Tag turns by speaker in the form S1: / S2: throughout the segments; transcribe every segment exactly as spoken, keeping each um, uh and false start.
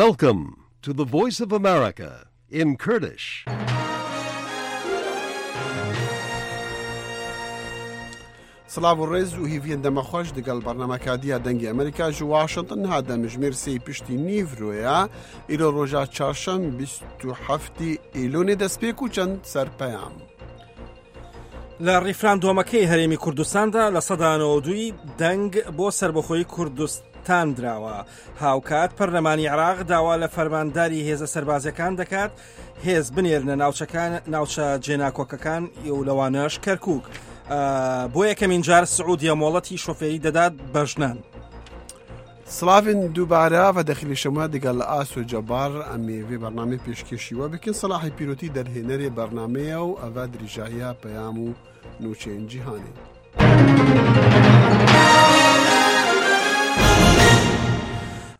S1: Welcome to the Voice of America in Kurdish.
S2: سڵاو و ڕێز و هیڤیەن دەمەخۆش دەگەڵ بەرنامەکادیە دەنگی ئەمریکا ji واشنگتن ها دەمژمێر سێ پشتی نیڤرۆیە ئیرۆ ڕۆژا چارشەم بیست و هەفتی ئیلۆنێ دەستپێک و چەند سەرپەیام.
S3: لە ڕیفراندۆمەکەی هەرێمی کوردستاندا لە سەدا نەوەد دەنگ بۆ سەربەخۆی کوردستان دراوە. هاوکات پەرلەمانی عێراق داوا لە فەرمانداری هێزە سەربازیەکان دەکات هێز بنێرنە ناوچەکان ناوچە جێناکۆکەکان و لەوانەش کەرکوک. بۆ یەکەمین جار سعودیە مۆڵەتی شۆفێری دەدات بە ژنان.
S2: سڵاوین دووبارە و دەخلی شەمە دەگەڵ ئاسۆ جەبار ئەمێ وێ بەرنامەی پێشکێشیوە بکەن. سەلاحی پیرۆتی دەرهێنەرێ بەرنامەیە و ئەڤ درێژایە پەیام و نوچەین جیهانی.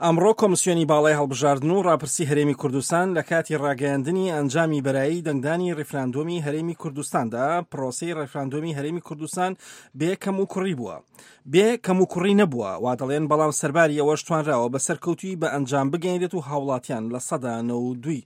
S3: ئەمڕۆ کۆمسیۆنی باڵای هەڵبژاردن و ڕاپرسی هەرێمی کوردستان لە کاتی ڕاگەیاندنی ئەنجامی بەرایی دەنگدانی ڕیفراندۆمی هەرێمی کوردستاندا پرۆسەی ڕیفراندۆمی هەرێمی کوردستان بێ کەم و کوڕی بووە. بێ کەم و کوڕی نەبووە وا دەڵێن، بەڵام سەرباری ئەوەش توانراوە بە سەرکەوتووی بە ئەنجام بگەیەنرێت و هاوڵاتیان لە سەدا نەوەد و دوو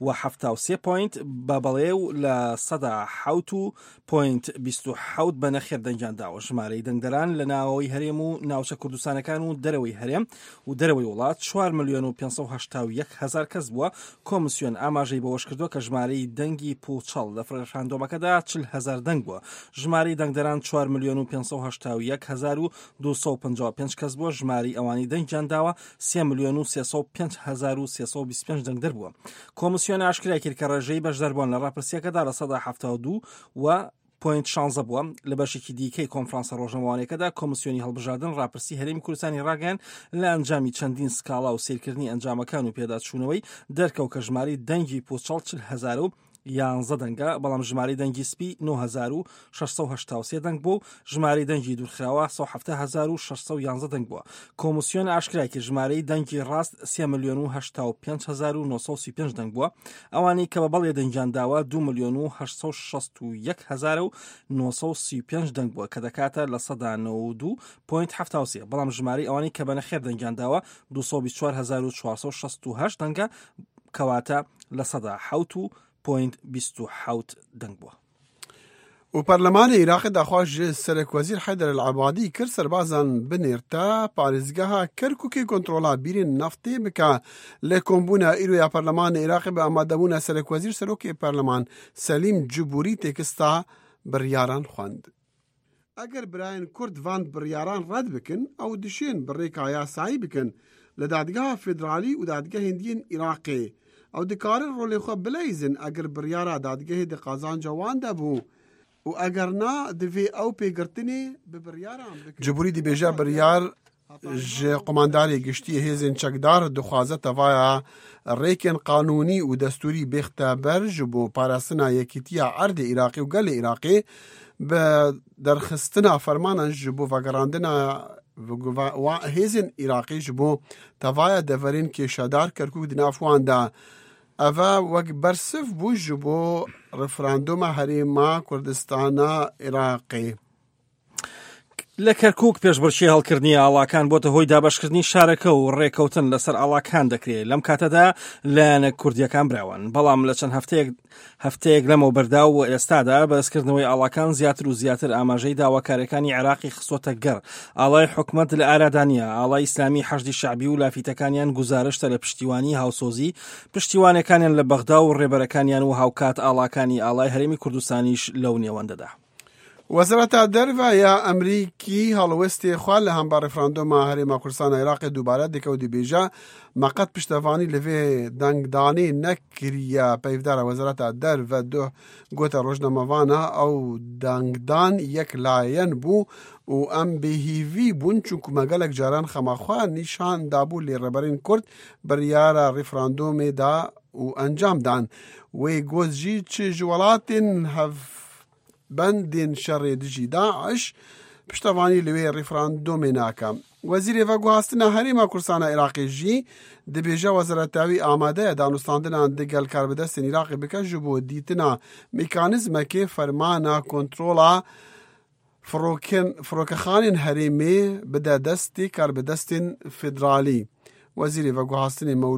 S3: و حەفتا و سێ point بە بەڵێ و لە سەدا حەوت و point بیست و حەوت بە نەخێر دەنگیان داوە. ژمارەی دەنگدەران لە ناوەوەی هەرێم و ناوچە کوردستانەکان و دەرەوەی هەرێم و دەرەوەی وڵات چوار ملیۆن و پێنج سەد و هەشتا و یەک هەزار کەس بووە. کۆمسیۆن ئاماژەی بەوەش کردووە کە ژمارەی دەنگی پوچەڵ لە ڕیفراندۆمەکەدا چل هەزار دەنگ بووە. ژمارەی دەنگدەران چوار ملیۆن و پێنج سەد و هەشتا و یەک هەزار و دوو سەد و پەنجا و پێنج کەس بووە. ژمارەی ئەوانەی دەنگیان داوە سێ ملیۆن و سێ سەد و پێنج هەزار و سێ سەد و بیست و پێنج دەنگدەر بووە. کۆمسیۆن ئاشکرای کرد کە ڕێژەی بەشداربوون لە ڕاپرسیەکەدا لە سەدا حەفتا و دوو و point شانزە بووە. لە بەشێکی دیکەی کۆنفرانسە ڕۆژنامەوانیەکەدا کۆمسیۆنی هەڵبژاردن ڕاپرسی هەرێمی کوردستانی ڕاگەیاند لە ئەنجامی چەندین سکاڵا و سیرکردنی ئەنجامەکان و پێداچوونەوەی دەرکەوت کە ژمارەی دەنگی پوچەڵ چل هەزار و یانزە دەنگە، بەڵام ژمارەی دەنگی سپی نۆ هەزار و شەش سەد و هەشتا و سێ دەنگ بوو، ژمارەی دەنگی دوورخراوە سەد و حەفتا هەزار و شەش سەد و یانزە دەنگ بووە. کۆمسیۆن ئاشکرای کرد ژمارەی دەنگی ڕاست سێ ملیۆن و هەشتا و پێنج هەزار و نۆ سەد و سی و پێنج دەنگ بووە. ئەوانەی کە بە بەڵێ دەنگیان داوە دوو ملیۆن و هەشت سەد و شەست و یەک هەزار و نۆ سەد و سی و پێنج دەنگ بووە کە دەکاتە لە سەدا نەوەد و دوو point حەفتا و سێ، بەڵام ژمارەی ئەوانەی کە بە نەخێر دەنگیان داوە دوو سەد و بیست و چوار هەزار و چوار سەد و شەست و هەشت دەنگە، کەواتە لە سەدا حەوت و point بیست و حەوت دەنگ بووە.
S2: و پەرلەمانی عێراقی داخواست ji serekwezîr Heyder El-Ebadî kir serbazan binêrta parêzgeha Kerkûkê kontrola bîrên naftê bike. Li kombûna îro ya Perlemanê Iraqê bi amadebûna serekwezîr serokê perleman Selîm Cibûrî têkista biryaran xwend. Eger birayên Kurd van biryaran red bikin, ew dişên bi rêka yasayî bikin li dadgeha federalî û dadgehên din Iraqê. Ew dikarin rolê xwe bileyzin eger biryara dadgehê di qazanca wan de bû û eger na divê ew pêgirtinê bi biryaran bikin. Cibûrî dibêje biryar ji qomandarê giştî hêzên çekdar dixwaze tevaya rêkên qanûnî û destûrî bêxte ber ji bo parastina yekîtiya erdê Iraqê û gelê Iraqê bi derxistina fermanan ji bo vegerandina hêzên Iraqê ji bo tevaya deverên kêşedar Kerkûk di nav wan de. Ev wek bersiv bû ji bo referandoma Herêma Kurdistana Iraqê.
S3: لە کەرکوک پێشبڕکێی هەڵکردنی ئاڵاکان بۆتە هۆی دابەشکردنی شارەکە و ڕێکەوتن لەسەر ئاڵاکان دەکرێت. لەم کاتەدا لایەنە کوردیەکان براون، بەڵام لە چەند هەفتەیەک هەفتەیەک لەمەوە بەردا و ئێستادا بەرزکردنەوەی ئاڵاکان زیاتر و زیاتر ئاماژەی داواکاریەکانی عێراقی خستۆتە گەڕ. ئاڵای حکومەت لە ئارادا نییە. ئاڵای ئیسلامی حەشدی شەعبی و لافیتەکانیان گوزارشتە لە پشتیوانی هاوسۆزی پشتیوانەکانیان لە بەغدا و ڕێبەرەکانیان و هاوکات ئاڵاکانی ئاڵای هەرێمی کوردستانیش لەو نێوەندەدا.
S2: وەزارەتە دەرەوە یا ئەمریکی هەڵوێستی خوا لە هەمبار ڕیفراندۆما هەرێما کوردستانە عێراقی دووبارە دکە و دەبێژە مەقەت پشتەوانی لەوێ دەنگدانی نەکریە. پەیڤدارە وەزارەتە دەرەوە دوو گوتە ڕۆژنامەوانە ئەو دەنگدان یەک لایەن بوو و ئەم بێهیوی بوون چونکو مەگەلێک جاران خەماخوا نیشان دابوو لێ ڕێبەرین کورد بڕیارە ڕیفراندۆمێدا و ئەنجامدان. وێ گۆزژی چ ji welatên hev بەندên şerê dijî Daîş پشتەوانی لەوێ ڕیفراندۆمێ ناکە. وەزیرê veguhastina Herêma Kurdistana Iraqê jî dibêje wezareta wî amade ye danûstandinan digel karbidestên Iraqê bike ji bo dîtina mekanîzmekê fermana kontrola firokexanên herêmê bide destê karbidestên federalî. Wezîrê veguhastinê Mewlûd